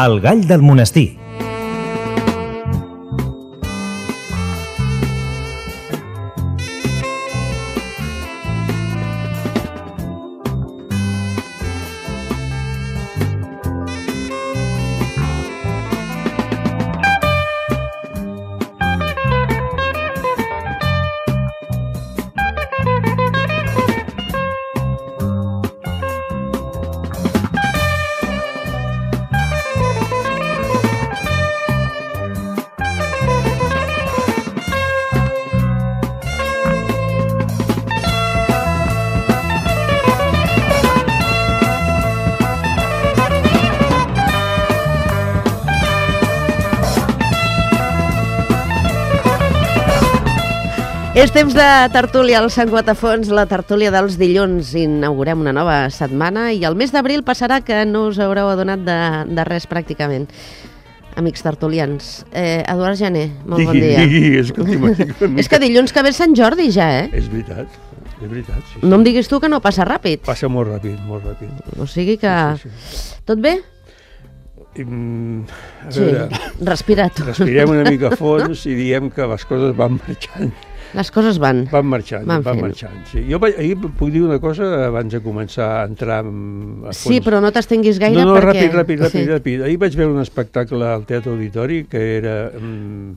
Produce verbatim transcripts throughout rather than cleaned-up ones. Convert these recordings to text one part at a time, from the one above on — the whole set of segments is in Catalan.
El gall del monestir. És temps de tertúlia al Sant Guatafons, la tertúlia dels dilluns. Inaugurem una nova setmana i el mes d'abril passarà que no us haureu adonat de, de res pràcticament. Amics tertulians. Eh, Eduard Jané, molt bon dia. Digui, escolti'm. És que dilluns que ve Sant Jordi ja, eh? És veritat, és veritat. Sí, sí. No em diguis tu que no passa ràpid. Passa molt ràpid, molt ràpid. O sigui que... Sí, sí, sí. Tot bé? Mm, a Sí, veure, respira tu. respirem una mica a fons i diem que les coses van marxant. Les coses van. Van marxant, Van van, fent. marxant. Sí. Jo vaig- ahir puc dir una cosa abans de començar a entrar a fons. Sí, però no t'estenguis gaire No, no, perquè... ràpid, ràpid, ràpid, Sí. ràpid. Ahir vaig veure un espectacle al Teatre Auditori que era mm,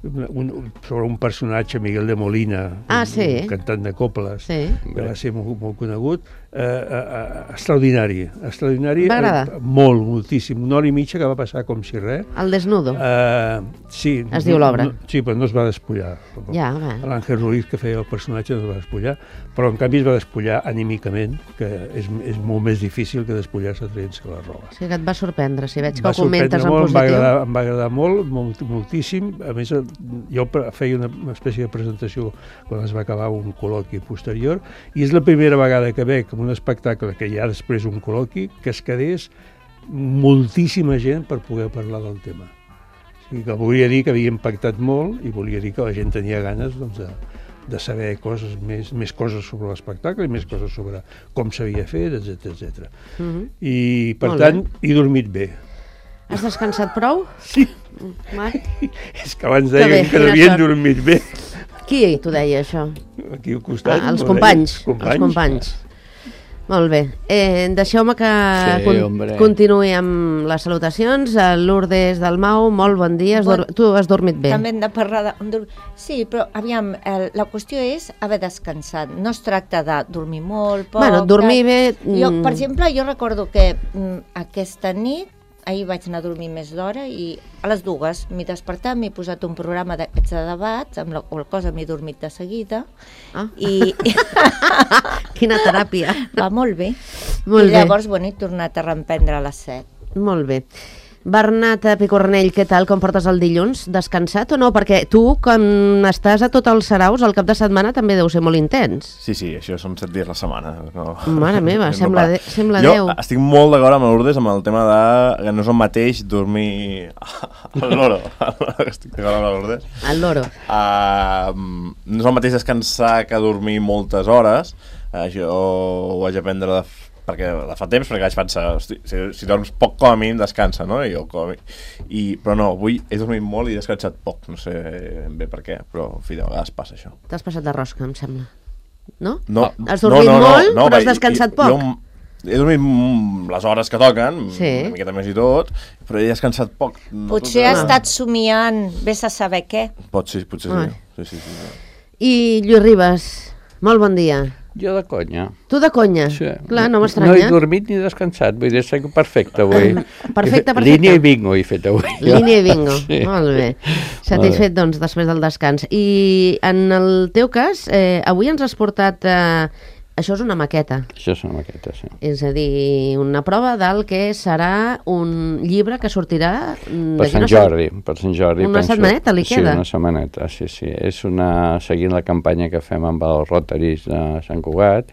un, un, sobre un personatge, Miguel de Molina, Ah, un, sí? un cantant de coples, Sí. que va ser molt, molt conegut, eh, eh, extraordinari, extraordinari, Va agradar? eh, molt, moltíssim, una hora i mitja que va passar com si res. El desnudo. Eh, sí. Es diu l'obra. No, sí, però no es va despullar. Ja, va. L'Àngel Ruiz, que feia el personatge, no es va despullar, però en canvi es va despullar anímicament, que és, és molt més difícil que despullar-se traient-se la roba. O sigui que et va sorprendre, si veig que Va ho comentes sorprendre en molt, em va positiu. agradar, em va agradar molt, molt, moltíssim. A més, jo pre- feia una, una espècie de presentació quan es va acabar un col·loqui posterior, i és la primera vegada que veig en un espectacle que hi ha després un col·loqui que es quedés moltíssima gent per poder parlar del tema. O sigui, que volia dir que havia impactat molt i volia dir que la gent tenia ganes, doncs, de, de saber coses, més, més coses sobre l'espectacle i més coses sobre com s'havia fet, etcètera etcètera. Mhm. I, per Molt tant, he dormit bé. Has descansat prou? Sí. Va. És que abans Que bé, deien que quina devien sort. dormir bé. Qui t'ho deia, això? Aquí al costat. Ah, els m'ho companys, deien. els companys. Molt bé. Eh, Deixeu-me que Sí, con hombre. continuï amb les salutacions. A Lourdes Dalmau, molt bon dia. Has Bon- dor- Tu has dormit bé? També hem de parlar de... dur- Sí, però aviam, el, la qüestió és haver descansat. No es tracta de dormir molt, poc... Bueno, dormir tal. bé... Jo, mm, per exemple, jo recordo que mm, aquesta nit, ahir vaig anar a dormir més d'hora i a les dues m'he despertat, m'he posat un programa d'aquests de debats, amb la qual cosa m'he dormit de seguida, Ah. i Quina teràpia. va molt bé. Molt I bé. llavors, bueno, he tornat a reemprendre a les set. Molt bé. Bernat Picornell, què tal? Com portes el dilluns? Descansat o no? Perquè tu, quan estàs a tot els saraus, el cap de setmana també deu ser molt intens. Sí, sí, això són set dies a la setmana. No, Mare meva, no sembla para. de- sembla jo Déu. estic molt d'acord amb Lourdes amb el tema de que no és el mateix dormir al loro. Estic d'acord amb la Lourdes. El loro. Uh, no és el mateix descansar que dormir moltes hores. Uh, jo ho vaig aprendre de, f- perquè de fa temps, perquè vaig pensar, hosti, si, si dorms poc com a mínim descansa, no? I jo, com a mínim, i, però no, avui he dormit molt i he descansat poc, no sé ben bé per què, però en fi, de vegades passa això. T'has passat de rosca, em sembla. No? No, Has dormit molt, però has descansat poc. Jo, he dormit mm, les hores que toquen, Sí. una miqueta més i tot, però he descansat poc. No Potser tot- ha estat somiant, vés a saber què. Pot ser, potser Ai. sí. Sí, sí, sí, sí. I Lluís Ribas, molt bon dia. Jo de conya. Tu de conya? Sí. Clar, no No he m'estranya. dormit ni descansat, vull dir, estic perfecte avui. Perfecte, perfecte. Línia i bingo he fet avui. Línia i bingo, Sí. molt bé. Satisfet, doncs, després del descans. I en el teu cas, eh, avui ens has portat... Eh, això és una maqueta, Això és una maqueta, sí. és a dir, una prova del que serà un llibre que sortirà... mm, Per d'aquí Sant no sé- Jordi, per Sant Jordi. Una penso. setmaneta li sí, queda? Sí, una setmaneta, sí, sí. És una... Seguint la campanya que fem amb els Rotaris de Sant Cugat,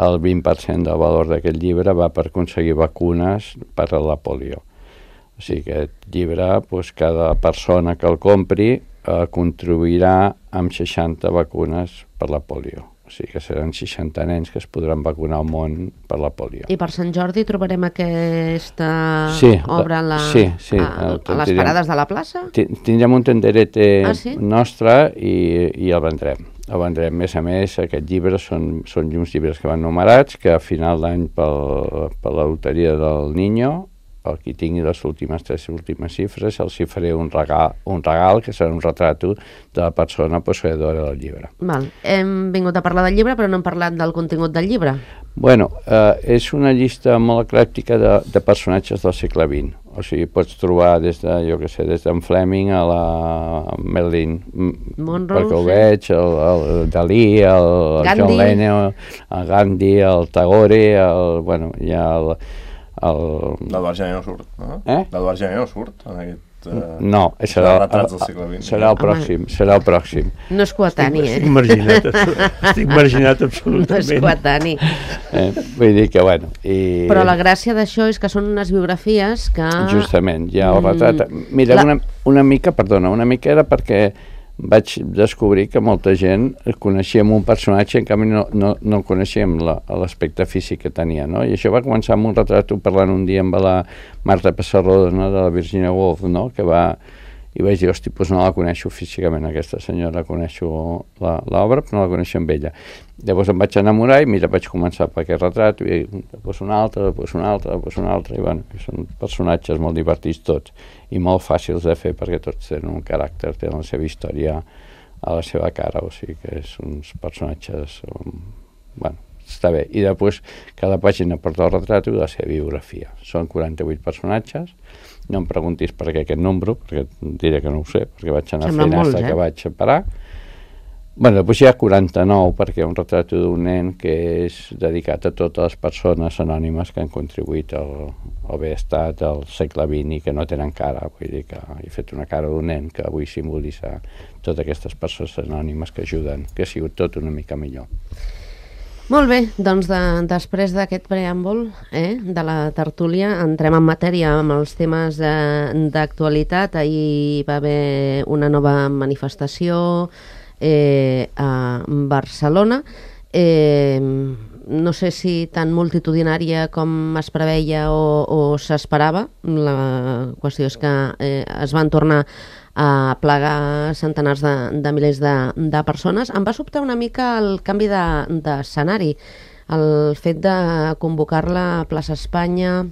el vint per cent del valor d'aquest llibre va per aconseguir vacunes per a la polio. O sigui, aquest llibre, doncs, cada persona que el compri eh, contribuirà amb seixanta vacunes per la polio. O O sigui que seran seixanta nens que es podran vacunar al món per la polio. I per Sant Jordi trobarem aquesta sí, obra a, la, sí, sí, a, a les parades de la plaça? Tindrem un tenderete ah, sí? nostre i, i el vendrem. El vendrem. A més a més, aquests llibres són, són uns llibres que van numerats, que a final d'any per la loteria del Niño, el qui tingui les últimes tres últimes xifres, els hi faré un regal, un regal que serà un retrato de la persona posseïdora del llibre. Val. Hem vingut a parlar del llibre, però no hem parlat del contingut del llibre. Bueno, eh, és una llista molt eclèctica de, de personatges del segle vint. O sigui, pots trobar des de, jo què sé, des d'en Fleming a la Marilyn Monroe, perquè ho sí. veig, el, el Dalí, el, el John Lennon, el Gandhi, el Tagore, el, bueno, hi ha el... el... L'Eduard Gené no surt, no? Eh? L'Eduard Gené no surt en aquest... Uh, no, serà, retrats del segle vint. Serà el pròxim, serà el pròxim. No és coetani, eh? Estic marginat, estic marginat absolutament. No és coetani. Eh, vull dir que, bueno... I... Però la gràcia d'això és que són unes biografies que... Justament, ja el retrat... Mira, la... una, una mica, perdona, una mica era perquè vaig descobrir que molta gent coneixíem un personatge, en canvi no, no, no coneixíem l'aspecte físic que tenia, no? I això va començar amb un retrat, parlant un dia amb la Marta Pessarrodó, no? De la Virginia Woolf, no? Que va... I vaig dir, hosti, doncs no la coneixo físicament, aquesta senyora, coneixo l'obra, però no la coneixo amb ella. Llavors em vaig enamorar i mira, vaig començar per aquest retrat, i després un altre, després un altre, després un altre, i bueno, són personatges molt divertits tots, i molt fàcils de fer perquè tots tenen un caràcter, tenen la seva història a la seva cara, o sigui que són uns personatges, um, bueno, està bé. I després cada pàgina porta el retrat i la seva biografia. Són quaranta-vuit personatges. No em preguntis per què aquest número, perquè diré que no ho sé, perquè vaig anar fent fins eh? que vaig parar. Bé, després hi ha quaranta-nou, perquè hi ha un retrat d'un nen que és dedicat a totes les persones anònimes que han contribuït al, al benestar del segle vint i que no tenen cara. Vull dir que he fet una cara d'un nen que avui simbolitza totes aquestes persones anònimes que ajuden, que ha sigut tot una mica millor. Molt bé, doncs de, després d'aquest preàmbul eh, de la tertúlia entrem en matèria amb els temes d'actualitat. Ahir va haver una nova manifestació eh, a Barcelona. Eh, no sé si tan multitudinària com es preveia o, o s'esperava. La qüestió és que eh, es van tornar a plegar centenars de, de milers de, de persones. Em va sobtar una mica el canvi d'escenari, de, el fet de convocar-la a Plaça Espanya,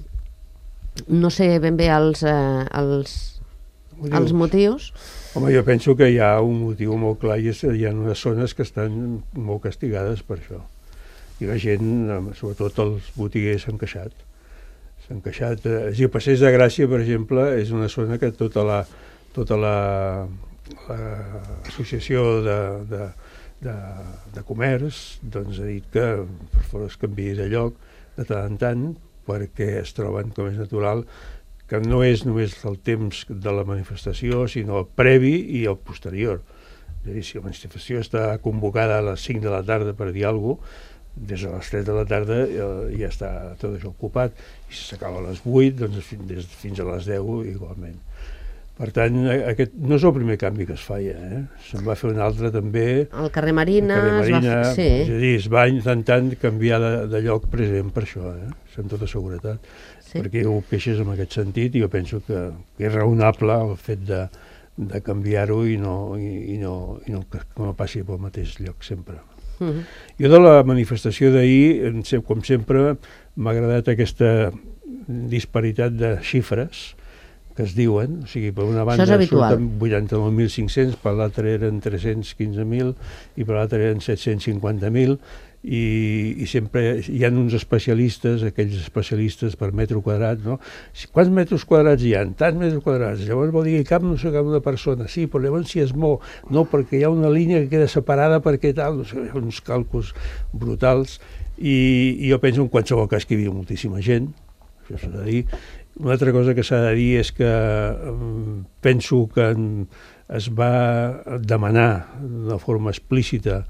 no sé ben bé els, eh, els, motius. els motius. Home, jo penso que hi ha un motiu molt clar i és, hi ha unes zones que estan molt castigades per això. I la gent, sobretot els botiguers, s'han queixat. S'han queixat. Eh, si Passeig de Gràcia, per exemple, és una zona que tota la tota l'associació la, de, de, de, de comerç doncs, ha dit que per favor es canviï de lloc de tant en tant perquè es troben, com és natural, que no és només el temps de la manifestació, sinó el previ i el posterior. És a dir, si la manifestació està convocada a les cinc de la tarda per dir alguna cosa, des de les tres de la tarda ja està tot això ocupat, i si s'acaba a les vuit, doncs fins, fins a les deu igualment. Per tant, aquest no és el primer canvi que es feia, eh? Se'n va fer un altre també. El carrer Marina, el carrer Marina es va fer, sí. És a dir, es va intentant canviar de, de lloc present per això, eh? Amb tota seguretat. Sí. Perquè ho queixes en aquest sentit i jo penso que, que és raonable el fet de, de canviar-ho i, no, i, i, no, i no que no passi pel mateix lloc sempre. Uh-huh. Jo de la manifestació d'ahir, com sempre, m'ha agradat aquesta disparitat de xifres que es diuen, o sigui, per una banda surten vuitanta-nou mil cinc-cents, per l'altra eren tres-cents quinze mil i per l'altra eren set-cents cinquanta mil i, i sempre hi ha uns especialistes, aquells especialistes per metre quadrat, no? Quants metres quadrats hi ha? Tants metres quadrats. Llavors vol dir que cap no sé cap una persona. Sí, però llavors si es mou, no, perquè hi ha una línia que queda separada perquè tal, no sé, hi ha uns càlculs brutals i, i jo penso en qualsevol cas que hi havia moltíssima gent, això s'ha de dir. Una altra cosa que s'ha de dir és que um, penso que es va demanar d'una forma explícita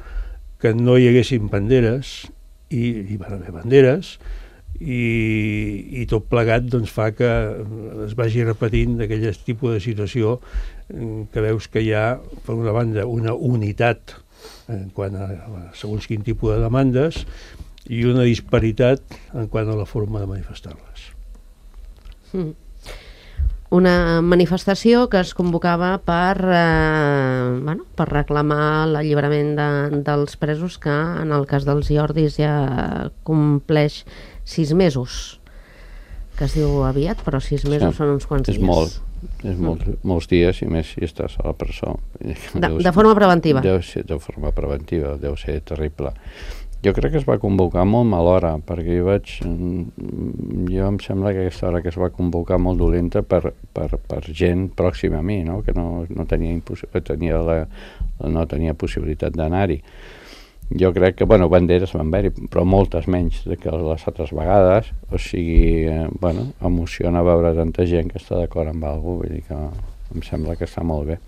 que no hi haguessin banderes i hi van haver banderes i, i tot plegat doncs, fa que es vagi repetint d'aquell tipus de situació que veus que hi ha, per una banda, una unitat en quant a segons quin tipus de demandes i una disparitat en quant a la forma de manifestar-les. Mm. Una manifestació que es convocava per, eh, bueno, per reclamar l'alliberament de, dels presos, que en el cas dels Jordis ja compleix sis mesos, que es diu aviat, però sis mesos sí, són uns quants és dies. Molt, és molt, mm. molts dies, i més si estàs a la presó. De, de forma preventiva? Deu ser de forma preventiva, deu ser terrible. Jo crec que es va convocar molt mal hora, perquè jo vaig... Jo em sembla que aquesta hora que es va convocar molt dolenta per, per, per gent pròxima a mi, no? Que no, no, tenia, tenia la, no tenia possibilitat d'anar-hi. Jo crec que, bueno, banderes van haver-hi, però moltes menys que les altres vegades. O sigui, eh, bueno, emociona veure tanta gent que està d'acord amb alguna cosa, vull dir que em sembla que està molt bé.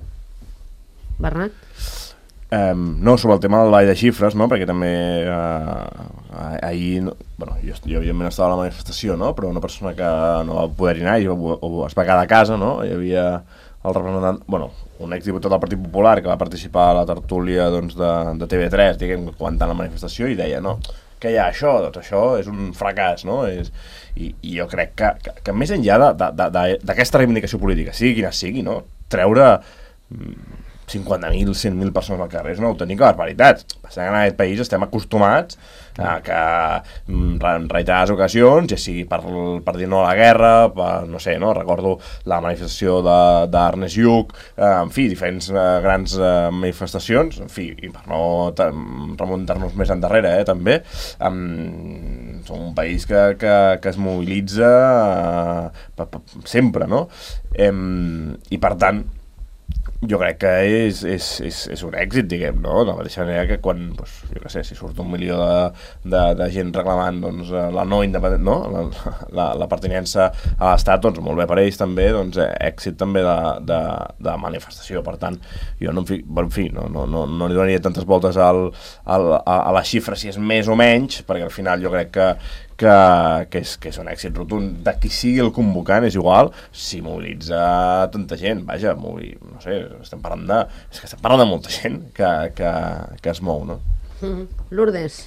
Bernat? Um, no, sobre el tema del ball de xifres, no? Perquè també uh, ahir, no, bueno, jo, jo evidentment estava a la manifestació, no? Però una persona que no va poder anar i o, o es va quedar a casa, no? Hi havia el representant, bueno, un exdiputat del Partit Popular que va participar a la tertúlia, doncs, de, de T V tres, diguem, comentant la manifestació, i deia, no, què hi ha això? Doncs això és un fracàs, no? És, i, i jo crec que, que, que més enllà d'aquesta reivindicació política, sigui quina sigui, no? Treure cinquanta mil, cent mil persones al carrer és una autèntica barbaritat. Passant que en aquest país estem acostumats a que en reiterades ocasions, ja sigui per, per dir no a la guerra, per, no sé, no? Recordo la manifestació d'Ernest Lluch, eh, en fi, diferents eh, grans eh, manifestacions, en fi, i per no remuntar-nos més endarrere, eh, també, um, som un país que, que, que es mobilitza eh, pa, pa, sempre, no? Eh, I per tant, jo crec que és, és, és, és un èxit, diguem, no? De la mateixa manera que quan, doncs, jo què sé, si surt un milió de, de, de gent reclamant, doncs, la no independència, no? La, la, la pertinença a l'Estat, doncs, molt bé per ells també, doncs, èxit també de, de, de manifestació. Per tant, jo no, en fi, en fi no, no, no, no li donaria tantes voltes al, al, a, a la xifra si és més o menys, perquè al final jo crec que Que, que, és, que és un èxit rotund de qui sigui el convocant, és igual si mobilitza tanta gent, vaja, movil, no sé, estem parlant de és que estem parlant de molta gent que, que, que es mou, no? Mm-hmm. Lourdes?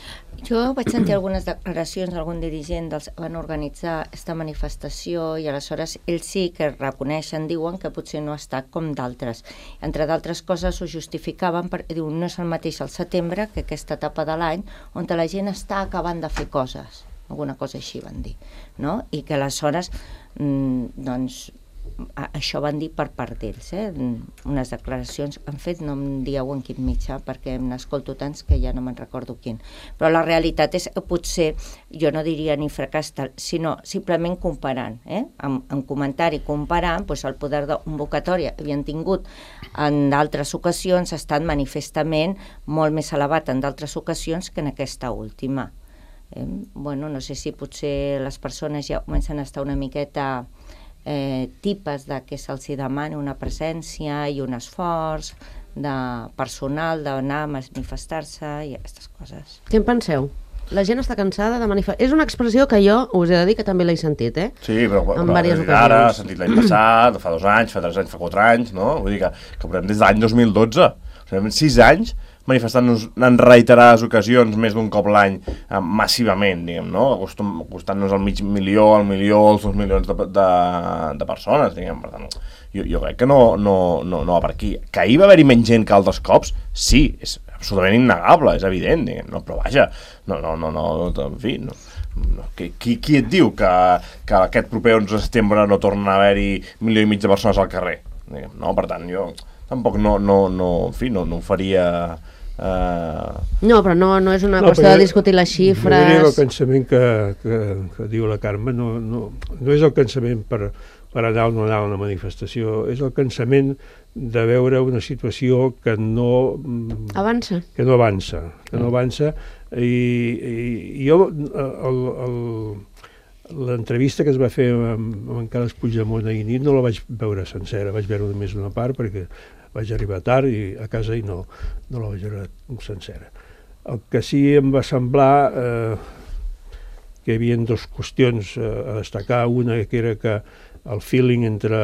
Jo vaig sentir algunes declaracions d'algun dirigent dels que van organitzar aquesta manifestació i aleshores ells sí que reconeixen, diuen que potser no ha estat com d'altres. Entre d'altres coses ho justificaven perquè diuen no és el mateix al setembre que aquesta etapa de l'any on la gent està acabant de fer coses. Alguna cosa així van dir, no? I que aleshores, mm, doncs, a, això van dir per part d'ells, eh? Unes declaracions han fet, no em dieu en quin mitjà, perquè n'escolto tants que ja no me'n recordo quin. Però la realitat és que potser, jo no diria ni fracàs tal, sinó simplement comparant, eh? En, en comentari comparant, doncs el poder de convocatòria havien tingut en d'altres ocasions, ha estat manifestament molt més elevat en d'altres ocasions que en aquesta última. Eh, bueno, no sé si potser les persones ja comencen a estar una miqueta eh, tipes de que se'ls demani una presència i un esforç de personal d'anar a manifestar-se i aquestes coses. Què en penseu? La gent està cansada de manifestar... És una expressió que jo us he de dir que també l'he sentit, eh? Sí, però, en però diverses ocasions. Ara, s'ha sentit l'any passat, fa dos anys, fa tres anys, fa quatre anys, no? Vull dir que, que portem des de l'any dos mil dotze. O sigui, sis anys manifestant-nos en reiterades ocasions, més d'un cop l'any, eh, massivament, diguem, no? Acostant-nos al mig milió, al milió, als dos milions de, de, de persones, diguem, per tant, jo, jo crec que no, no, no, no va per aquí. Que ahir va haver-hi menys gent que altres cops, sí, és absolutament innegable, és evident, diguem, no? Però vaja, no, no, no, no, en fi, no. No, qui, qui et diu que, que aquest proper onze de setembre no torna a haver-hi milió i mig de persones al carrer? Diguem, no, per tant, jo tampoc no, no, no, en fi, no, no ho faria... Uh... No, però no, no és una no, qüestió de discutir les xifres. Jo diria que el pensament que, que, que diu la Carme no, no, no és el pensament per, per anar o no anar a una manifestació, és el pensament de veure una situació que no avança, que no avança, que no avança i, i, i jo el, el, l'entrevista que es va fer amb, amb en Carles Puigdemont ahir nit no la vaig veure sencera, vaig veure només una part perquè vaig arribar tard i a casa i no, no la vaig veure sencera. El que sí em va semblar eh, que hi havia dues qüestions eh, a destacar, una que era que el feeling entre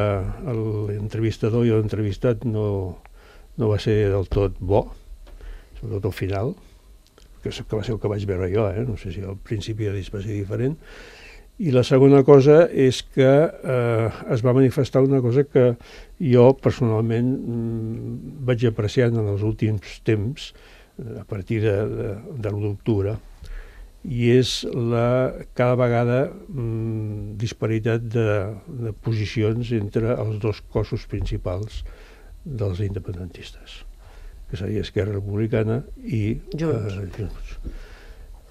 l'entrevistador i l'entrevistat no, no va ser del tot bo, sobretot al final, que va ser el que vaig veure jo, eh? No sé si al principi va ser diferent. I la segona cosa és que eh, es va manifestar una cosa que jo personalment mm, vaig apreciant en els últims temps, a partir de, de, de l'u d'octubre, i és la cada vegada mm, disparitat de, de posicions entre els dos cossos principals dels independentistes, que seria Esquerra Republicana i Junts. Eh, Junts.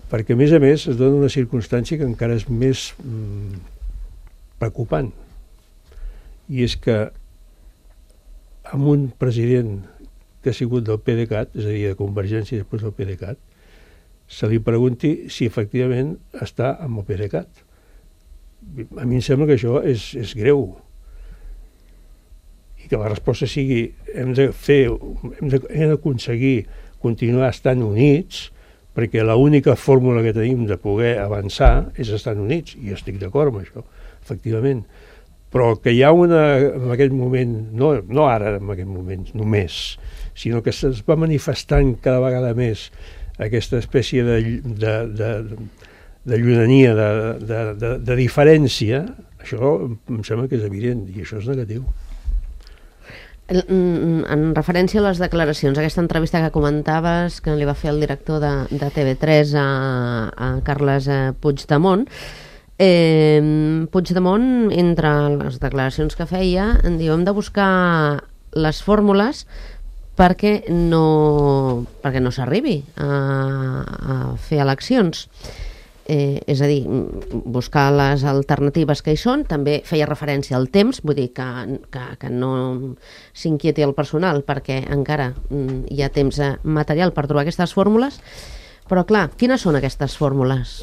Perquè, a més a més, es dona una circumstància que encara és més mm, preocupant, i és que amb un president que ha sigut del PDeCAT, és a dir, de Convergència i després del PDeCAT, se li pregunti si efectivament està amb el PDeCAT. A mi em sembla que això és, és greu. I que la resposta sigui hem de fer, hem de, hem d'aconseguir continuar estant units, perquè l'única fórmula que tenim de poder avançar és estar units, i jo estic d'acord amb això, efectivament. Però que hi ha una, en aquest moment, no, no ara en aquest moment només, sinó que es va manifestant cada vegada més aquesta espècie de, de, de, de llunania, de, de, de, de diferència, això em sembla que és evident, i això és negatiu. En referència a les declaracions, aquesta entrevista que comentaves que li va fer el director de, de T V tres a, a Carles Puigdemont, eh, Puigdemont, entre les declaracions que feia, en diu hem de buscar les fórmules perquè no, perquè no s'arribi a, a fer eleccions. Eh, és a dir, buscar les alternatives que hi són. També feia referència al temps, vull dir que, que, que no s'inquieti el personal perquè encara hi ha temps material per trobar aquestes fórmules, però clar, quines són aquestes fórmules?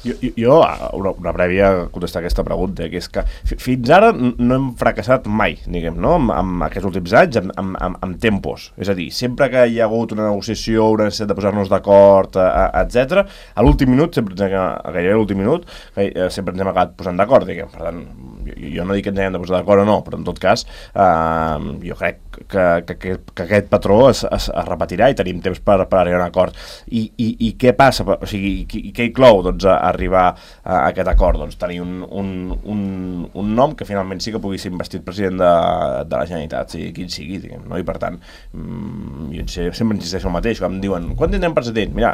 Jo, jo una, una prèvia a contestar aquesta pregunta, que és que fins ara no hem fracassat mai, diguem, no? amb, amb aquests últims anys, amb, amb, amb, amb tempos. És a dir, sempre que hi ha hagut una negociació, una necessitat de posar-nos d'acord, etcètera, a l'últim minut, sempre, a gairebé l'últim minut, sempre ens hem acabat posant d'acord, diguem. Per tant, jo, jo no dic que ens hem de posar d'acord o no, però en tot cas, eh, jo crec que, que, que, que aquest patró es, es, es repetirà i tenim temps per, per arribar a un acord. I, i, i què passa? O sigui, i què inclou, doncs, a arribar a aquest acord? Doncs tenir un, un, un, un nom que finalment sí que pugui ser investit president de, de la Generalitat, sigui quin sigui, diguem, no? I per tant, jo sempre insisteixo el mateix, quan em diuen, quan tindrem president? Mira,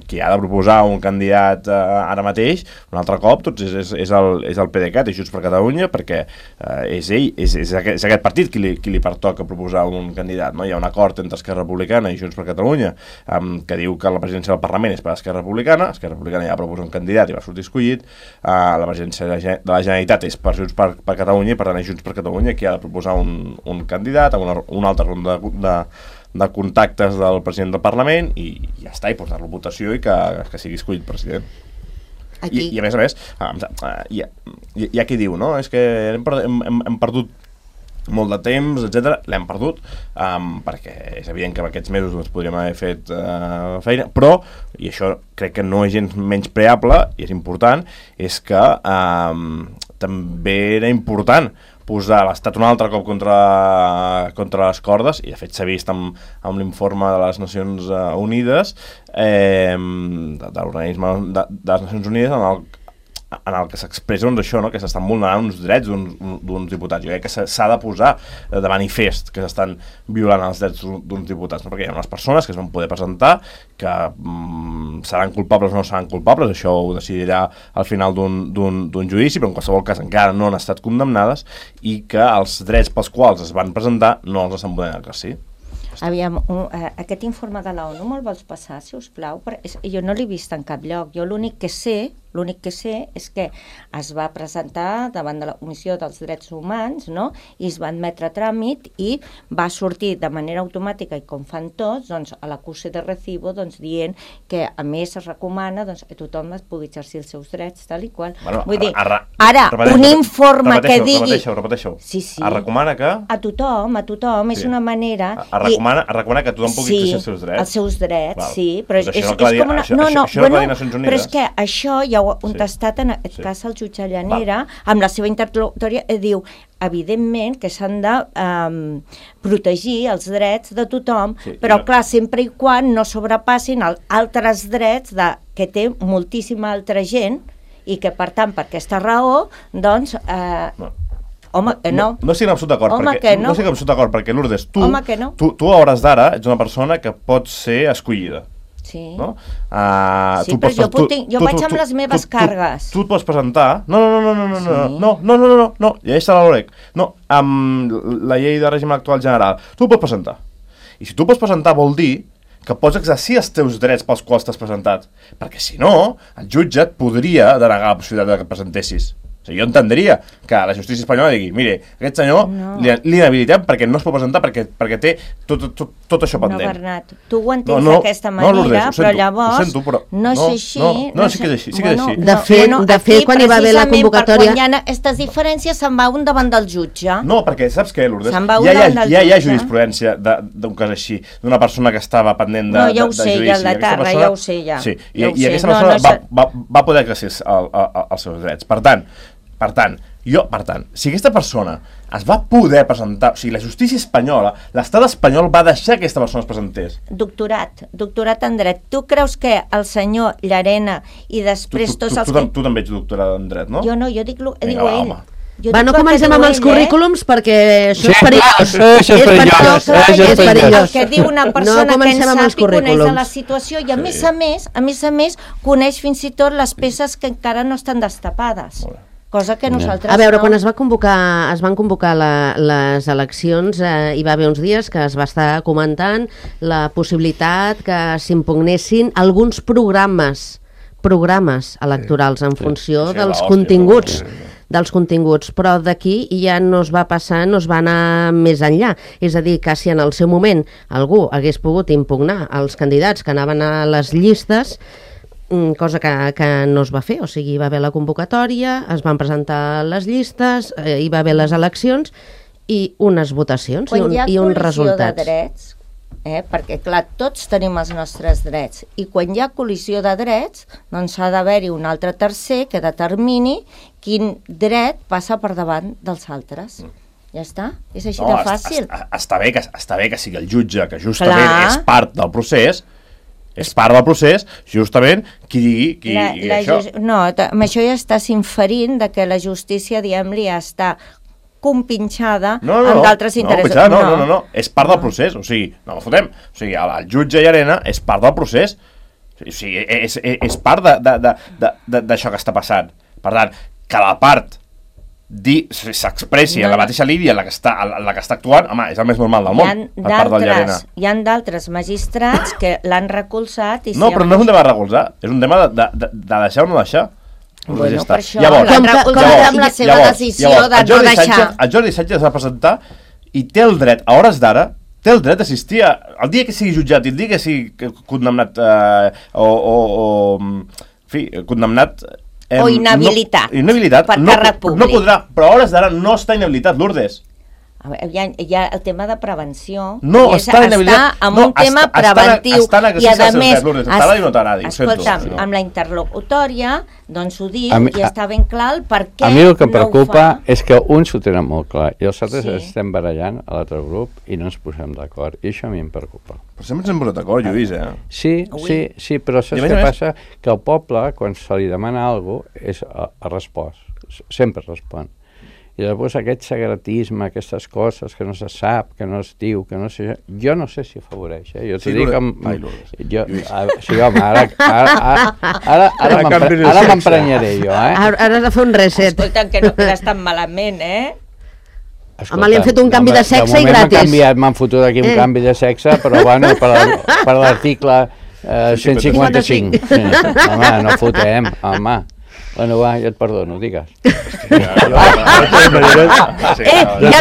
qui ha de proposar un candidat eh, ara mateix, un altre cop, doncs és, és, és, el, és el PDeCAT, és Junts per Catalunya, perquè eh, és ell, és, és, aquest, és aquest partit qui li, qui li pertoca proposar un candidat, no? Hi ha un acord entre Esquerra Republicana i Junts per Catalunya eh, que diu que la presidència del Parlament és per Esquerra Republicana, Esquerra Republicana ja proposa un candidat i va sortir escollit, uh, la presidència de la, de la Generalitat és per Junts per, per Catalunya, i per tant és Junts per Catalunya qui ha de proposar un, un candidat amb una, una altra ronda de, de, de contactes del president del Parlament i ja està, i portar-lo a votació i que, que sigui escollit president. I, I a més a més, uh, hi, ha, hi ha qui diu, no? És que hem, hem, hem perdut molt de temps, etcètera, l'hem perdut, um, perquè és evident que en aquests mesos ens podríem haver fet uh, feina, però, i això crec que no és gens menys preable, i és important, és que um, també era important posar l'Estat un altre cop contra, contra les cordes, i de fet s'ha vist amb, amb l'informe de les Nacions Unides, eh, de, de l'organisme de, de les Nacions Unides, en el en el que s'expressa, doncs, això, no? Que s'estan vulnerant uns drets d'uns diputats. Jo crec que s'ha de posar de manifest que s'estan violant els drets d'uns diputats, no? Perquè hi ha unes persones que es van poder presentar que mm, seran culpables o no seran culpables, això ho decidirà al final d'un judici, però en qualsevol cas encara no han estat condemnades, i que els drets pels quals es van presentar no els estan podent exercir. Aviam, un, uh, aquest informe de l'ONU me'l vols passar, si us plau? Per, és, jo no l'he vist en cap lloc. Jo l'únic que sé L'únic que sé és que es va presentar davant de la Comissió dels Drets Humans, no? I es va admetre a tràmit i va sortir de manera automàtica, i com fan tots, doncs, a l'acuse de recibo, doncs, dient que a més es recomana, doncs, que tothom es pugui exercir els seus drets, tal i qual. Bueno, Vull dir, ara, ara, repeteixo, un informe que digui... Repeteixo, repeteixo. Sí, sí. Es recomana que... A tothom, a tothom, sí. És una manera... Es recomana, es recomana que tothom pugui exercir els seus drets. Sí, els seus drets, Val. sí. Però pues és, és, és com una... Això, no, no, això, això bueno, no però és que això hi ha ja ho ha contestat, sí. en aquest sí. cas el jutge Llanera, Va. amb la seva interlocutòria, eh, diu, evidentment que s'han de um, protegir els drets de tothom, sí, però clar, sempre i quan no sobrepassin el, altres drets de, que té moltíssima altra gent i que, per tant, per aquesta raó, doncs... Eh, no. Home, que no. No, no estic en absolut d'acord, perquè, no. no estic en absolut d'acord, perquè Lourdes, tu, no. tu, tu a hores d'ara ets una persona que pot ser escollida. Sí, no? uh, sí però jo, tu, tinc, jo tu, vaig tu, amb les meves tu, cargues. Tu, tu et pots presentar... No, no, no, no, no, sí. no, no, no, no, no, no, no, llegeix-te la Lorec. No, amb la llei de règim actual general. Tu pots presentar. I si tu pots presentar vol dir que pots exercir els teus drets pels quals t'has presentat. Perquè si no, el jutge et podria denegar la possibilitat de que et presentessis. O sigui, jo entendria que la justícia espanyola digui mire, aquest senyor no. li, li inhabilitem perquè no es pot presentar, perquè, perquè té tot, tot, tot això pendent. No, Bernat, tu ho entens no, no, d'aquesta manera, no, Lourdes, però llavors sento, però no és així. No, no, no, sí que és així. Sí que és així. Bueno, de fet, bueno, de fet quan hi va haver la convocatòria... Quan hi ha aquestes diferències se'n va un davant del jutge. No, perquè saps què, Lourdes? Se'n va un ja, davant ja, del ja jutge. Hi ha jurisprudència d'un cas així, d'una persona que estava pendent de, no, ja ho de, de sé, judici. Ja el de Terra, persona, ja ho sé, ja. Sí, i, ja i sé. aquesta no, persona no, va, va, va poder exercir el, el, els seus drets. Per tant, per tant, jo, per tant, si aquesta persona es va poder presentar, o sigui, la justícia espanyola, l'estat espanyol va deixar que aquesta persona es presentés. Doctorat, doctorat en dret. Tu creus que el senyor Llarena i després tu, tu, tots tu, els... Tu, tu, tu també ets doctorat en dret, no? Jo no, jo dic... Vinga, diu va, ell. home. Jo va, no comencem amb els currículums, eh? Perquè això sí, és perillós. Això és perillós. És és perillós. El que diu una persona no que en sap i coneix de la situació i a sí. més a més, a més a més, coneix fins i tot les peces que encara no estan destapades. Cosa que nosaltres a veure, no... quan es va convocar, es van convocar la, les eleccions, eh, hi va haver uns dies que es va estar comentant la possibilitat que s'impugnessin alguns programes programes electorals en funció sí, dels continguts dels continguts, però d'aquí ja no es va passar, no es va anar més enllà. És a dir, que si en el seu moment algú hagués pogut impugnar els candidats que anaven a les llistes, cosa que, que no es va fer, o sigui, hi va haver la convocatòria, es van presentar les llistes, eh, hi va haver les eleccions i unes votacions i, un, i uns resultats. De drets, eh, perquè clar, tots tenim els nostres drets i quan hi ha col·lisió de drets doncs ha d'haver-hi un altre tercer que determini quin dret passa per davant dels altres. Ja està? És així no, de fàcil. Està, està, bé que, està bé que sigui el jutge, que justament clar. És part del procés, és part del procés, justament, qui digui, qui la, digui la això. Just, no, amb això ja estàs inferint de que la justícia, diguem-li, ja està compinxada no, no, amb d'altres no, interessos. No, no, no, no, no, és part del procés, o sigui, no ho fotem, o sigui, el, el jutge Llarena és part del procés, o sigui, és, és, és part d'això que està passant. Per tant, que la part s'expressi no, en la mateixa línia en la, que està, en la que està actuant, home, és el més normal del món, per part del Llarena. Hi ha d'altres magistrats que l'han recolzat i no, però no és un tema de recolzar, és un tema de, de, de, de deixar o no deixar. Bueno, per això l'han recolzat amb la seva llavors, decisió llavors, de no deixar. Sánchez, el Jordi Sánchez es va presentar i té el dret, a hores d'ara, té el dret d'assistir a... El dia que sigui jutjat i el dia que sigui condemnat eh, o, o, o... En fi, condemnat... Eh, o inhabilitat. No, inhabilitat. Per no, càrrec públic. No podrà, però a hores d'ara no està inhabilitat, Lourdes. A veure, hi, ha, hi ha el tema de prevenció. No, és, està inhabilitat. Està en no, un tema està, preventiu. Està, està I a més, Lourdes, es, no escolta'm, no. amb la interlocutòria, doncs ho diu mi, i està ben clar el per què a mi el que em no preocupa és que uns ho tenen molt clar i els altres sí. estem barallant a l'altre grup i no ens posem d'acord. I això a mi em preocupa. Però sempre ens hem posat d'acord, Lluís, eh? Sí, Ui. sí, sí, però saps què passa? Que el poble, quan se li demana alguna cosa, és a, a respost. Sempre respon. I llavors aquest secretisme, aquestes coses que no se sap, que no es diu, que no sé... Jo no sé si afavoreix, eh? Jo t'ho sí, dic amb... Ai, jo, a, sí, home, ara, ara, ara, ara, ara m'emprenyaré jo, eh? Ara, ara has de fer un reset. Escolta, que no quedes tan malament, eh? Escolta, home, li han fet un canvi de sexe de i gratis. M'han canviat, m'han fotut aquí un eh. canvi de sexe, però bueno, per l'article eh, cent cinquanta-cinc. Sí, home, no fotem, home. Bueno, va, ja et perdono, digues. Eh, ja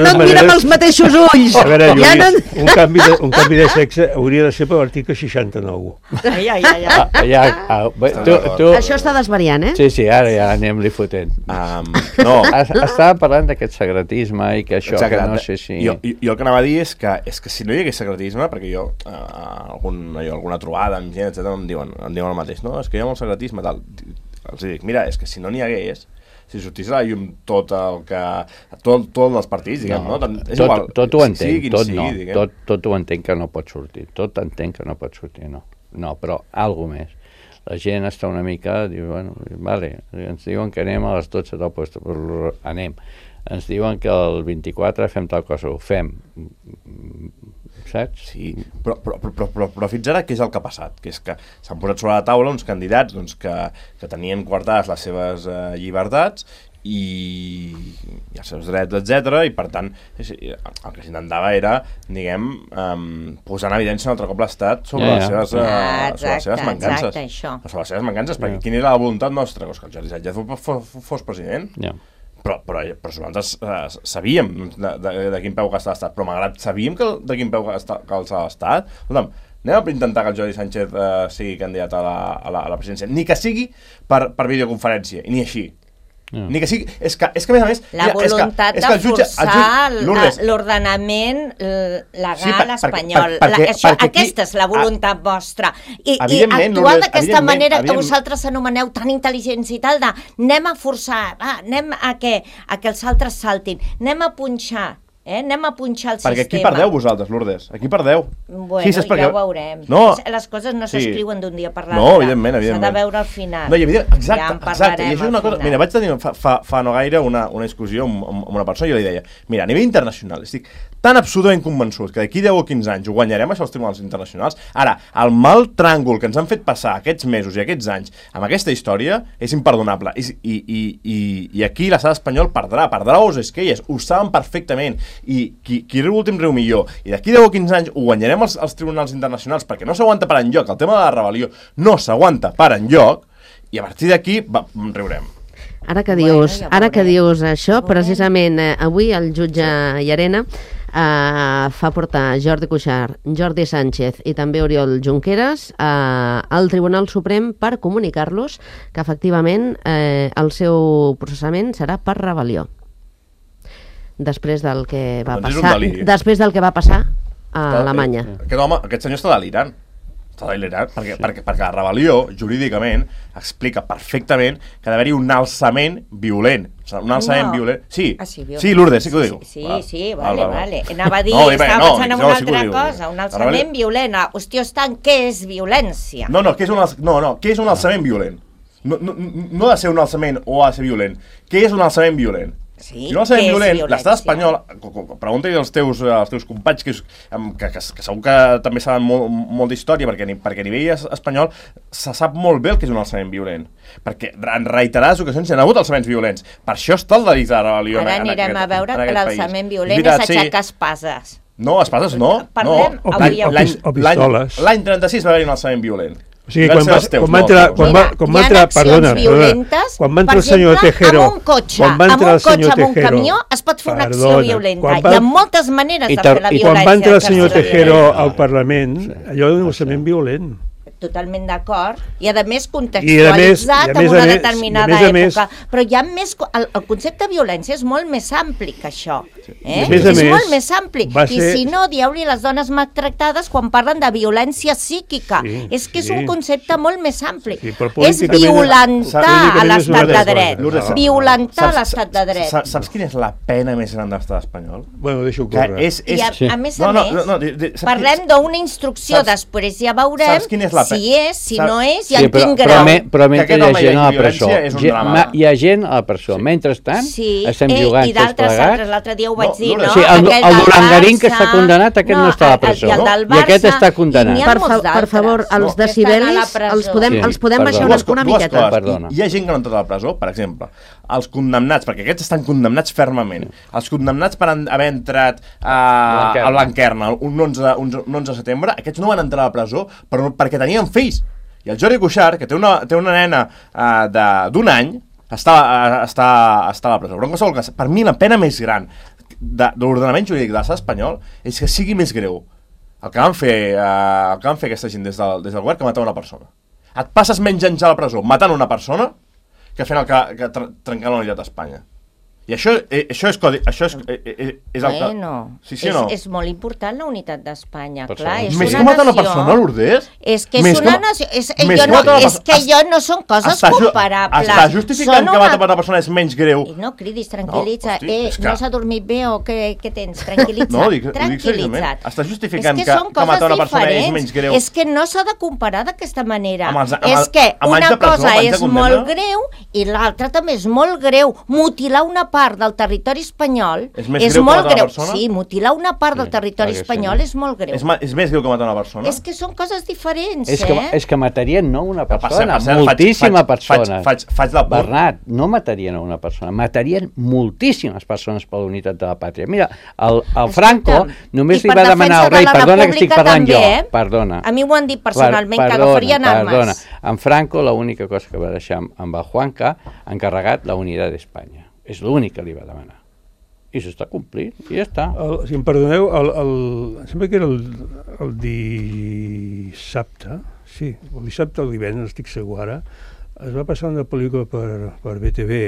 no et mira amb els mateixos ulls. A veure, Lluís, ja no... un, canvi de, un canvi de sexe hauria de ser per l'article seixanta-nou. Ai, ai, ai. ai. Ah, ja, ah, bé, tu, tu... Això està desvariant, eh? Sí, sí, ara ja anem-li fotent. Um, no. Estava parlant d'aquest secretisme i que això, Exacte. que no sé si... Jo, jo, jo el que anava a dir és que, és que si no hi hagués secretisme, perquè jo, eh, algun, jo alguna trobada amb gent, etcètera, em diuen, em diuen el mateix, no? És que hi ha molt secretisme, tal... els dic, mira, és que si no n'hi hagués, si sortís a la llum tot el que... tot, tot els partits, diguem, no? no? És tot, igual, tot ho entenc, sigui, tot sigui, no, diguem. tot, tot ho entenc que no pot sortir, tot entenc que no pot sortir, no. No, però alguna més. La gent està una mica, diu, bueno, vale, ens diuen que anem a les dotze del puesto, però anem. Ens diuen que el vint-i-quatre fem tal cosa, ho fem. Saps? Sí, però, però, però, però, però fins ara què és el que ha passat? Que és que s'han posat sobre la taula uns candidats doncs, que, que tenien guardades les seves eh, llibertats i, i els seus drets, etcètera, i per tant el que s'intentava era, diguem, um, posar en evidència un altre cop l'Estat sobre, ja, ja. les seves, uh, exacte, sobre les seves mancances. Exacte, això. Sobre les seves mancances, Ja. perquè quina era la voluntat nostra? Pues que el Jordi Sánchez fos, fos, fos president. Ja. Però, però, però nosaltres eh, sabíem de, de, de quin peu que està l'Estat, però malgrat sabíem que, de quin peu que està, que està l'Estat, escolta'm, anem a intentar que el Jordi Sánchez eh, sigui candidat a la, a, la, a la presidència, ni que sigui per, per videoconferència, i ni així. Ja. Ni que sigui... És que, és que a més a més... La mira, voluntat és que, és que de jutge, forçar l'ordenament legal Sí, per- espanyol. per- perquè- La, això, perquè aquí- aquesta és la voluntat vostra. I, i Evidentment, actuar Lourdes, d'aquesta evidentment, manera que evidentment. vosaltres anomeneu tan intel·ligents i tal, de anem a forçar, va, anem a que, a que els altres saltin, anem a punxar, eh? anem a punxar el perquè sistema. aquí perdeu vosaltres, Lourdes, aquí perdeu. Bueno, Sí, saps per ja què? ho veurem. No. Les coses no Sí. s'escriuen d'un dia per l'altre. No, evidentment, evidentment. S'ha de veure al final. No, i evident, exacte, ja en exacte. I parlarem això és una al cosa... final. Mira, vaig tenir fa, fa, fa no gaire una, una discussió amb, amb una persona i jo li deia, mira, a nivell internacional, estic tan absolutament convençut que d'aquí deu o quinze anys ho guanyarem això als tribunals internacionals. Ara, el mal tràngol que ens han fet passar aquests mesos i aquests anys amb aquesta història és imperdonable. I, i, i, i, i aquí l'estat espanyol perdrà, perdrà os esquelles, ho saben perfectament. I qui, qui riu últim riu millor. I d'aquí deu o quinze anys ho guanyarem als, als tribunals internacionals perquè no s'aguanta per enlloc. El tema de la rebel·lió no s'aguanta per enlloc i a partir d'aquí riurem. Ara que Bueno, dius, ja ara que veurem. dius això, Ja veurem. precisament eh, avui el jutge Llarena eh, fa portar Jordi Cuixart, Jordi Sánchez i també Oriol Junqueras eh, al Tribunal Suprem per comunicar-los que efectivament eh, el seu processament serà per rebel·lió. Després del que va Doncs és un passar, deliri. després del que va passar a Alemanya. Aquest home, aquest senyor està delirant. Està delirant, perquè, sí. perquè, perquè la rebel·lió, jurídicament, explica perfectament que ha d'haver-hi un alçament violent. O sigui, un alçament No. violent. Sí, Ah, sí, violent. sí, Lourdes, sí que ho diu. Sí, Val. sí, Val, vale, val, val. vale. Anava a dir, No, bé, estava no, pensant en no, una sí que ho altra diu. cosa, un La alçament rebel·lió- violent. Ah, hòstia, estan, què és violència? No, no, què és un, alç... no, no, què és un alçament violent? No, no, no ha de ser un alçament o ha de ser violent. Què és un alçament violent? Sí, I un alçament què és violent, violència? l'estat espanyol, pregunta-hi als teus, als teus companys, que, és, que, que, que segur que també saben molt, molt d'història, perquè, perquè a nivell es- espanyol se sap molt bé el que és un alçament violent. Perquè en reiterades ocasions hi ha hagut alçaments violents. Per això està el delit de rebel·lió. Ara en- en anirem aquest- a veure en que aquest l'alçament país. violent és, veritat, sí. aixecar espases. No, espases no. Parlem no. avui L'any- avui. l'any- O l'any- pistoles. L'any trenta-sis va haver-hi un alçament violent. O sigui, I van quan ser va, els teus, quan va no entrar, els quan meus. va, Mira, quan hi va ha entrar, accions perdona, perdona, violentes, quan va entrar per el senyor exemple, Tejero, amb un cotxe, quan va amb entrar un el senyor cotxe, amb un Tejero, camió, es pot fer una acció perdona, violenta. quan Hi va- ha moltes maneres I de tar- fer la i I violència. quan va entrar el de senyor fer la Tejero violència. al Parlament, allò era un alçament violent. Totalment d'acord, i a més I a contextualitzat més- i a més en a una més- determinada i a més a més- època, però hi ha més, el, el concepte de violència és molt més ampli que això, eh? I a més a és més, molt més ampli, va i ser- si no, dieu-li les dones maltractades quan parlen de violència psíquica, Sí, és que és sí. un concepte molt més ampli, Sí, però és políticament- violentar a políticament és l'estat una de altra dret, cosa. Lourdes, violentar Saps- l'estat de dret. Saps, saps quina és la pena més gran de l'estat espanyol? Bueno, deixo Que córrer. és, I és... a, Sí. a més No, a no, més, no, no, de- de- saps parlem qui- d'una instrucció, saps- després ja veurem saps quina és la pe- si és, si saps- no és, i Sí, en però, quin però, grau. me, però mentre Que hi aquest ha home hi gent a la hagi presó, violència és un gent- drama. ma- hi ha gent a la presó. Mentrestant, Sí, estem eh, jugant i tots d'altres plegats. altres, l'altre dia ho vaig No, dir, Lourdes, no? Sí, el, Aquell el del Durangarín que Barça, està condemnat, aquest no, està a la el- presó. I, el del I aquest Barça, està condemnat. i n'hi ha Per, molts fa, per d'altres. favor, els No, que estan a la decibelis presó. els podem, Sí, els podem perdó. baixar dues, una, una dues miqueta. coses. Perdona. Hi, hi ha gent que no ha entrat a la presó, per exemple, els condemnats, perquè aquests estan condemnats fermament, els condemnats per an- haver entrat a, Blanquerna. a Blanquerna un onze, un, un onze de setembre, aquests no van entrar a la presó per, perquè tenien fills. I el Jordi Cuixart, que té una, té una nena uh, d'un any, està, uh, està, està a la presó. Però en qualsevol cas, per mi la pena més gran de, de l'ordenament jurídic de l'estat espanyol és que sigui més greu el que van fer, uh, el que van fer aquesta gent des del, des del govern que matar una persona. Et passes menys anys a la presó matant una persona que fent el que, que tr trencant la unitat d'Espanya. I això, eh, això és codi... Això és, eh, eh, és el bueno, sí, sí, no? és, és molt important la unitat d'Espanya, Per clar, és més una que matar una nació. persona, Lourdes? És que és Més una que- nació. És, més jo que no, matar una és que persona- jo no són coses Està ju- comparables. Està justificant Són que una- matar una persona és menys greu. I no cridis, tranquil·litza. No, hosti, eh, és que- no s'ha dormit bé o què, què tens? Tranquil·litza't. No, dic- ho dic tranquil·litza't. seriosament. Està justificant és que, que- són que matar coses una persona és diferents. menys greu. És que no s'ha de comparar d'aquesta manera. Amb els- amb és el- que amb anys una de presó, cosa amb anys de és condemna. molt greu i l'altra també és molt greu. Mutilar una part del territori espanyol És més greu que molt matar una greu. persona? Sí, mutilar una part del Sí, territori clar que sí. espanyol és molt greu. És, ma- és més greu que matar una persona? És que són coses diferents, És que, eh? és que matarien no una Per cert, persona, per cert, faig- moltíssima faig- persona. Faig, faig, faig la por. Bernat, no matarien a una persona, matarien moltíssimes persones per la unitat de la pàtria. Mira, el, el Franco Escolta'm, només i li per va demanar al defensa de rei, la perdona que estic República parlant també, jo, eh? perdona. A mi m'ho han dit personalment, que Perdona, agafarien armes. Perdona, en Franco l'única cosa que va deixar amb, amb el Juanca encarregat la unitat d'Espanya. És l'únic que li va demanar. I s'està complint, i ja està. El, si em perdoneu, el, el, em sembla que era el, el dissabte, sí, el dissabte o el divendres, no estic segur ara, es va passar una pel·lícula per, per B T V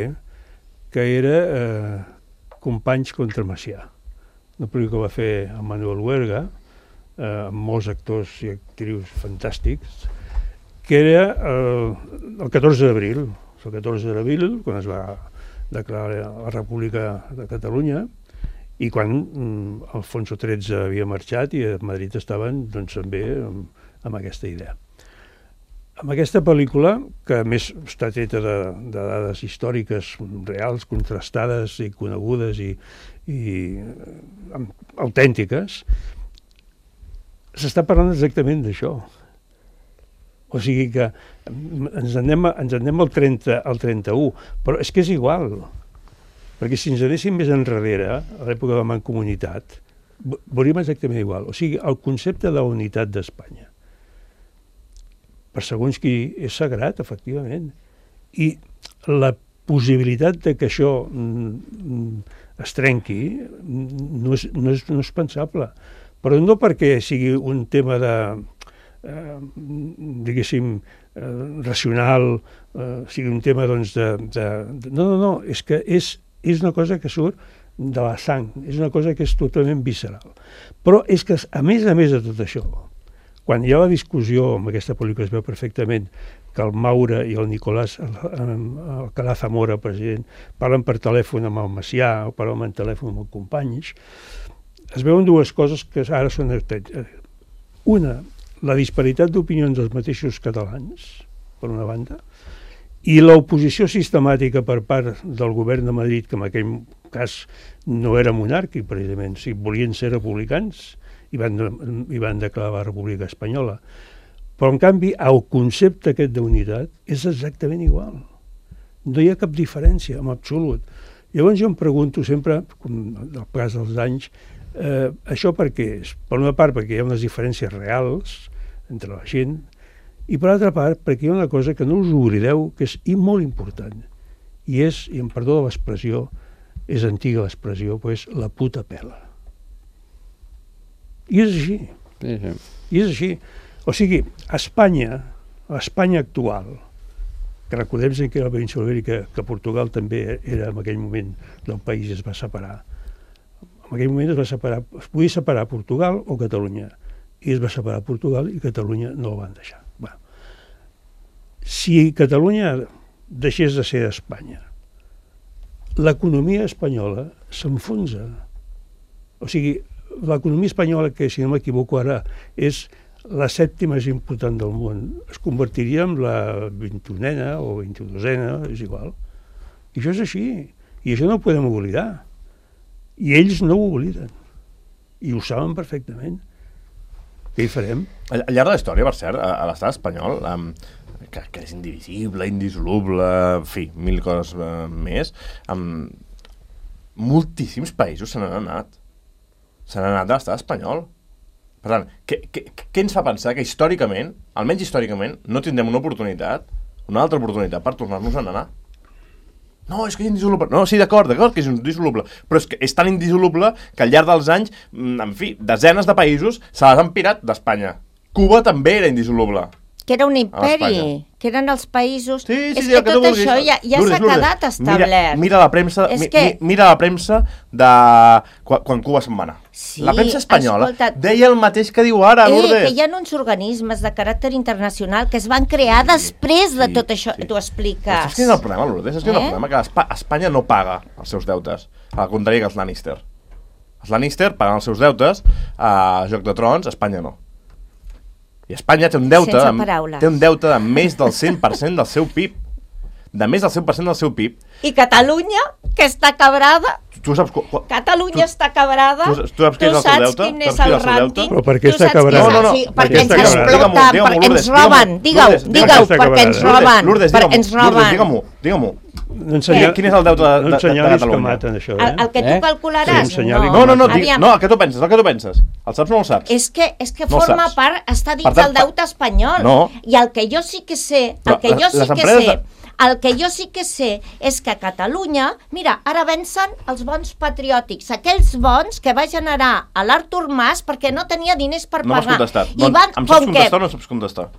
que era eh, Companys contra Macià. Una pel·lícula que va fer el Manuel Huerga, eh, amb molts actors i actrius fantàstics, que era eh, el catorze d'abril, el catorze d'abril, quan es va declarar la República de Catalunya, i quan mm, Alfonso tretze havia marxat i a Madrid estaven doncs, també amb, amb aquesta idea. Amb aquesta pel·lícula, que a més està treta de, de dades històriques reals, contrastades i conegudes i, i eh, autèntiques, s'està parlant exactament d'això. O sigui que ens anem, ens anem al, trenta, al trenta-u, però és que és igual, perquè si ens anéssim més enrere, a l'època de la Mancomunitat, veuríem exactament igual. O sigui, el concepte de la unitat d'Espanya, per segons qui és sagrat, efectivament, i la possibilitat de que això mm, es trenqui no és, no és, no és pensable, però no perquè sigui un tema de Eh, diguéssim eh, racional, eh, sigui un tema doncs de, de, de... No, no, no, és que és, és una cosa que surt de la sang, és una cosa que és totalment visceral. Però és que, a més a més de tot això, quan hi ha la discussió, amb aquesta pel·lícula es veu perfectament, que el Maura i el Nicolás Alcalá Zamora, president, parlen per telèfon amb el Macià o parlen per telèfon amb els companys, es veuen dues coses que ara són... Una, la disparitat d'opinions dels mateixos catalans, per una banda, i l'oposició sistemàtica per part del govern de Madrid, que en aquell cas no era monàrquic, precisament, si volien ser republicans i van, i van declarar la República Espanyola. Però, en canvi, el concepte aquest d'unitat és exactament igual. No hi ha cap diferència, en absolut. Llavors jo em pregunto sempre, com el pas dels anys, eh, això per què és? Per una part, perquè hi ha unes diferències reals entre la gent, i per altra part, perquè hi ha una cosa que no us oblideu, que és i molt important, i és, i em perdó de l'expressió, és antiga l'expressió, però és la puta pela. I és així. Sí, sí. I és així. O sigui, Espanya, l'Espanya actual, que recordem que era la península ibèrica, que Portugal també era en aquell moment del país i es va separar. En aquell moment es va separar, es podia separar Portugal o Catalunya, i es va separar Portugal i Catalunya no el van deixar. Bueno, si Catalunya deixés de ser Espanya, l'economia espanyola s'enfonsa. O sigui, l'economia espanyola, que si no m'equivoco ara és la sèptima més important del món, es convertiria en la vint-i-unena o vint-i-dosena, és igual. I això és així, i això no ho podem oblidar. I ells no ho obliden, i ho saben perfectament. Què hi farem? Al, al llarg de la història, per cert, a, a l'estat espanyol, um, que, que és indivisible, indissoluble, en fi, mil coses uh, més, um, moltíssims països se n'han anat. Se n'han anat de l'estat espanyol. Per tant, què, què, què ens fa pensar que històricament, almenys històricament, no tindrem una oportunitat, una altra oportunitat per tornar-nos a anar? No, és que és indissoluble. No, sí, d'acord, d'acord que és indissoluble, però és que és tan indissoluble que al llarg dels anys, en fi, desenes de països se les han pirat d'Espanya. Cuba també era indissoluble. que era un imperi, que eren els països... Sí, sí, és sí, que el que tu tot vulguis. això ja, ja Lourdes, s'ha Lourdes, quedat establert. Mira, mira la premsa, És mi, que... mi, mira la premsa de quan, quan Cuba se'n va anar. Sí, la premsa espanyola escolta, deia el mateix que diu ara, Eh, Lourdes. que hi ha uns organismes de caràcter internacional que es van crear després de sí, tot això, sí. t'ho expliques. Saps quin és el problema, Lourdes? Saps quin és Eh? el problema? Que Espa Espanya no paga els seus deutes, al contrari que els Lannister. Els Lannister paguen els seus deutes a Joc de Trons, Espanya no. I Espanya té un deute, Sense de, paraules. té un deute de més del cent per cent del seu P I B. De més del cent per cent del seu P I B. I Catalunya, que està quebrada, Tu saps... Qu qu Catalunya tu, està quebrada, tu, tu saps què és el seu saps deute? quin Saps és quin el és el seu deute? rànting? Però per què Tu està saps quebrada? què és? No, no, no, Sí, per perquè què ens està quebrada? exploten, Digue-m'ho, digue-m'ho, perquè ens Lourdes, roben, digue-m'ho. digue-ho, Lourdes, digue-ho, digue-m'ho. perquè ens Lourdes, roben, Lourdes, perquè digue-m'ho, ens Lourdes, roben. digue-m'ho, digue-m'ho. No ensenyar, Quin és el deute de, de, no de, de ensenyar-los que Catalunya? maten, això, El, eh? el que tu Eh? calcularàs, Sí, ensenyar-li no. No, no, no, di, Aviam, no, el que tu penses, el que tu penses. El saps o no el saps? És que, és que No ho forma saps. part, està dins Per tant, del deute espanyol. no. I el que jo sí que sé, el Però que jo les- sí les que empreses sé, de- el que jo sí que sé és que a Catalunya, mira, ara vencen els bons patriòtics, aquells bons que va generar a l'Artur Mas perquè no tenia diners per No m'has pagar. contestat. I Doncs, van, em saps com que... contestar o no em saps contestar?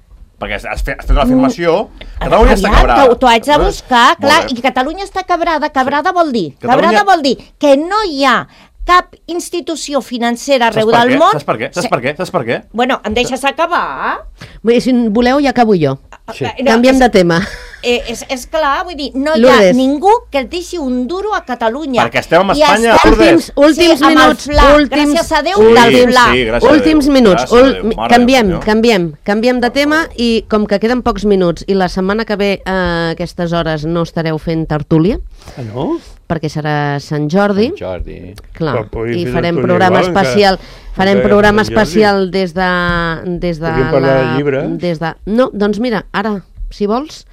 Perquè has, has fet, has fet una afirmació, Catalunya Aviam, està quebrada. t'ho- T'ho haig de buscar, clar, Molt bé. i Catalunya està quebrada. Quebrada vol dir, Catalunya- quebrada vol dir que no hi ha cap institució financera Saps arreu per del què? món... Saps per què? Saps per què? Saps per què? Bueno, em deixes acabar? Vull dir, si voleu, ja acabo jo. Sí. Eh, Canviem és- de tema. Eh, és, és clar, vull dir, no hi Lourdes. ha ningú que et deixi un duro a Catalunya. Perquè estem amb I Espanya, estem- Lourdes. Últims, últims Sí, amb el minuts. fla. Últims, Gràcies a Déu últims, del fla. Sí, gràcies a últims Déu. minuts. Gràcies a Ul- Déu. Mare de canviem, Déu, senyor. canviem, canviem de tema i com que queden pocs minuts i la setmana que ve a aquestes hores no estareu fent tertúlia, Ah, no? perquè serà Sant Jordi, Sant Jordi. clar, Però podríem i fer farem tertúlia programa igual, encara- especial, farem encara programa Sant Jordi. especial des de... Des de Podríem parlar de llibres. Des de, no, doncs mira, ara, si vols,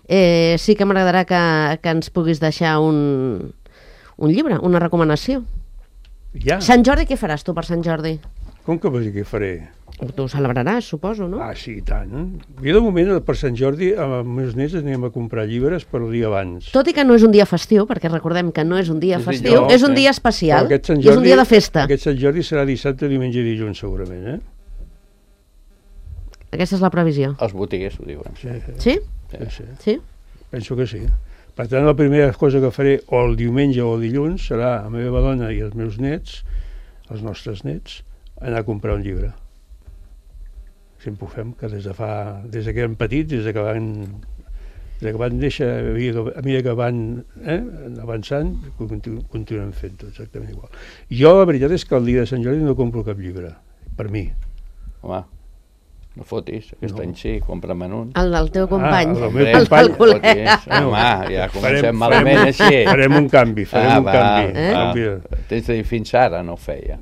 eh, sí que m'agradarà que, que ens puguis deixar un, un llibre, una recomanació. Ja. Sant Jordi, què faràs tu per Sant Jordi? Com que vols dir què faré? Tu ho celebraràs, suposo, no? Ah, sí, i tant. Jo de moment, per Sant Jordi, amb els meus nets anem a comprar llibres per el dia abans. Tot i que no és un dia festiu, perquè recordem que no és un dia És festiu, dilluns, és un eh? dia Però especial, aquest Sant i és un Jordi, dia de festa. aquest Sant Jordi serà dissabte, diumenge i dilluns, segurament, eh? Aquesta és la previsió. Els botiguers ho diuen. Sí, sí, Sí? sí, sí. Sí? Penso que sí. Per tant, la primera cosa que faré o el diumenge o el dilluns serà a la meva dona i els meus nets, els nostres nets, anar a comprar un llibre. Sempre ho fem, que des de fa... des de que eren petits, des de que van... des de que van néixer, a mesura que, a mesura que van eh, avançant, continu, continuem fent-ho exactament igual. Jo, la veritat és que el dia de Sant Jordi no compro cap llibre, per mi. Home, no fotis, aquest No. any sí, compra-me'n un. El del teu company. el meu Hombre, company. no fotis. Home, ja comencem malament farem, així. Farem un canvi, farem Ah, un va, canvi. eh? un canvi. Tens de dir, fins ara no ho feia.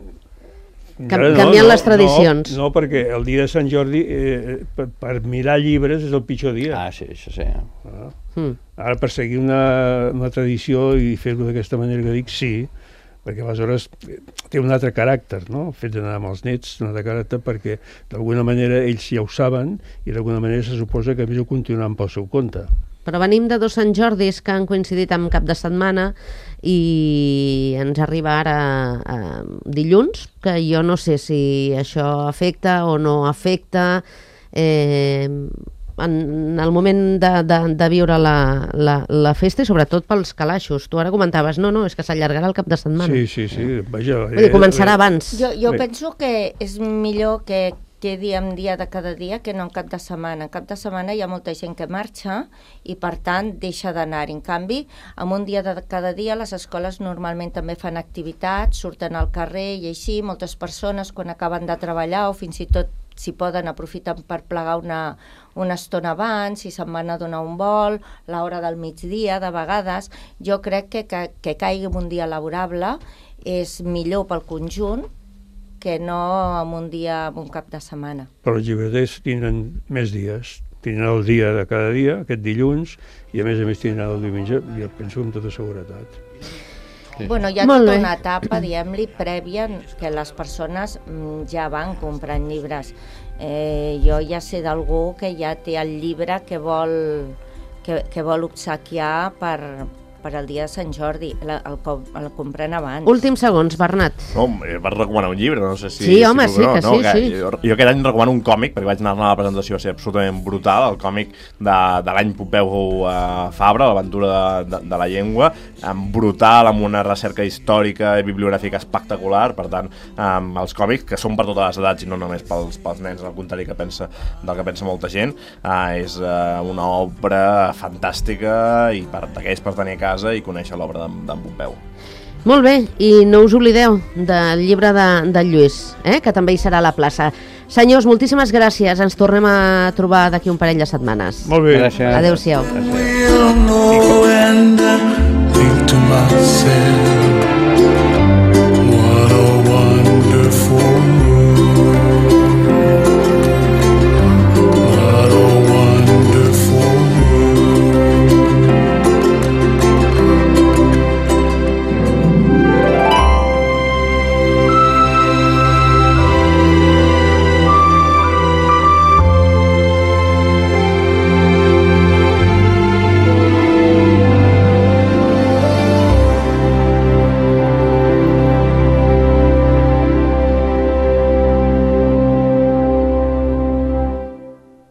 Encara canviant les tradicions. No, no, perquè el dia de Sant Jordi, eh, per, per mirar llibres, és el pitjor dia. Ah, sí, això sí. Ah. Mm. Ara, per seguir una, una tradició i fer-ho d'aquesta manera que dic, sí, perquè aleshores eh, té un altre caràcter, no? El fet d'anar amb els nets, un altre caràcter, perquè d'alguna manera ells ja ho saben i d'alguna manera se suposa que a més ho continuaran pel seu compte. Però venim de dos Sant Jordis que han coincidit amb cap de setmana i ens arriba ara eh, dilluns, que jo no sé si això afecta o no afecta eh, en el moment de, de, de viure la, la, la festa i sobretot pels calaixos. Tu ara comentaves, no, no, és que s'allargarà el cap de setmana. Sí, sí, sí, vaja... Vull dir, començarà abans. Jo, jo Bé. penso que és millor que quedi en dia de cada dia que no en cap de setmana. En cap de setmana hi ha molta gent que marxa i, per tant, deixa d'anar. En canvi, en un dia de cada dia les escoles normalment també fan activitats, surten al carrer i així moltes persones quan acaben de treballar o fins i tot si poden aprofiten per plegar una, una estona abans, si se'n van a donar un vol, l'hora del migdia, de vegades. Jo crec que, que, que caigui en un dia laborable és millor pel conjunt que no en un dia, en un cap de setmana. Però els llibreters tindran més dies. Tindran el dia de cada dia, aquest dilluns, i a més a més tindran el diumenge, jo penso amb tota seguretat. Sí. Bueno, hi ha Molt tota bé. una etapa, diguem-li, prèvia que les persones mm, ja van comprant llibres. Eh, jo ja sé d'algú que ja té el llibre que vol, que, que vol obsequiar per, per al dia de Sant Jordi, el, el, el comprem abans. Últims segons, Bernat. No, vas recomanar un llibre, no sé si... Sí, home, si sí, que no, sí, que sí. Jo, jo aquest any recomano un còmic, perquè vaig anar a la presentació, va ser absolutament brutal, el còmic de, de l'any Pompeu uh, Fabra, l'aventura de, de, de la llengua, um, brutal, amb una recerca històrica i bibliogràfica espectacular, per tant, um, els còmics, que són per totes les edats i no només pels, pels nens, al contrari que pensa, del que pensa molta gent, uh, és uh, una obra fantàstica i per d'aquells per tenir a casa i conèixer l'obra d'en Pompeu. Molt bé, i no us oblideu del llibre de, de Lluís, eh? Que també hi serà a la plaça. Senyors, moltíssimes gràcies, ens tornem a trobar d'aquí un parell de setmanes. Molt bé. Gràcies. Adéu-siau. Gràcies.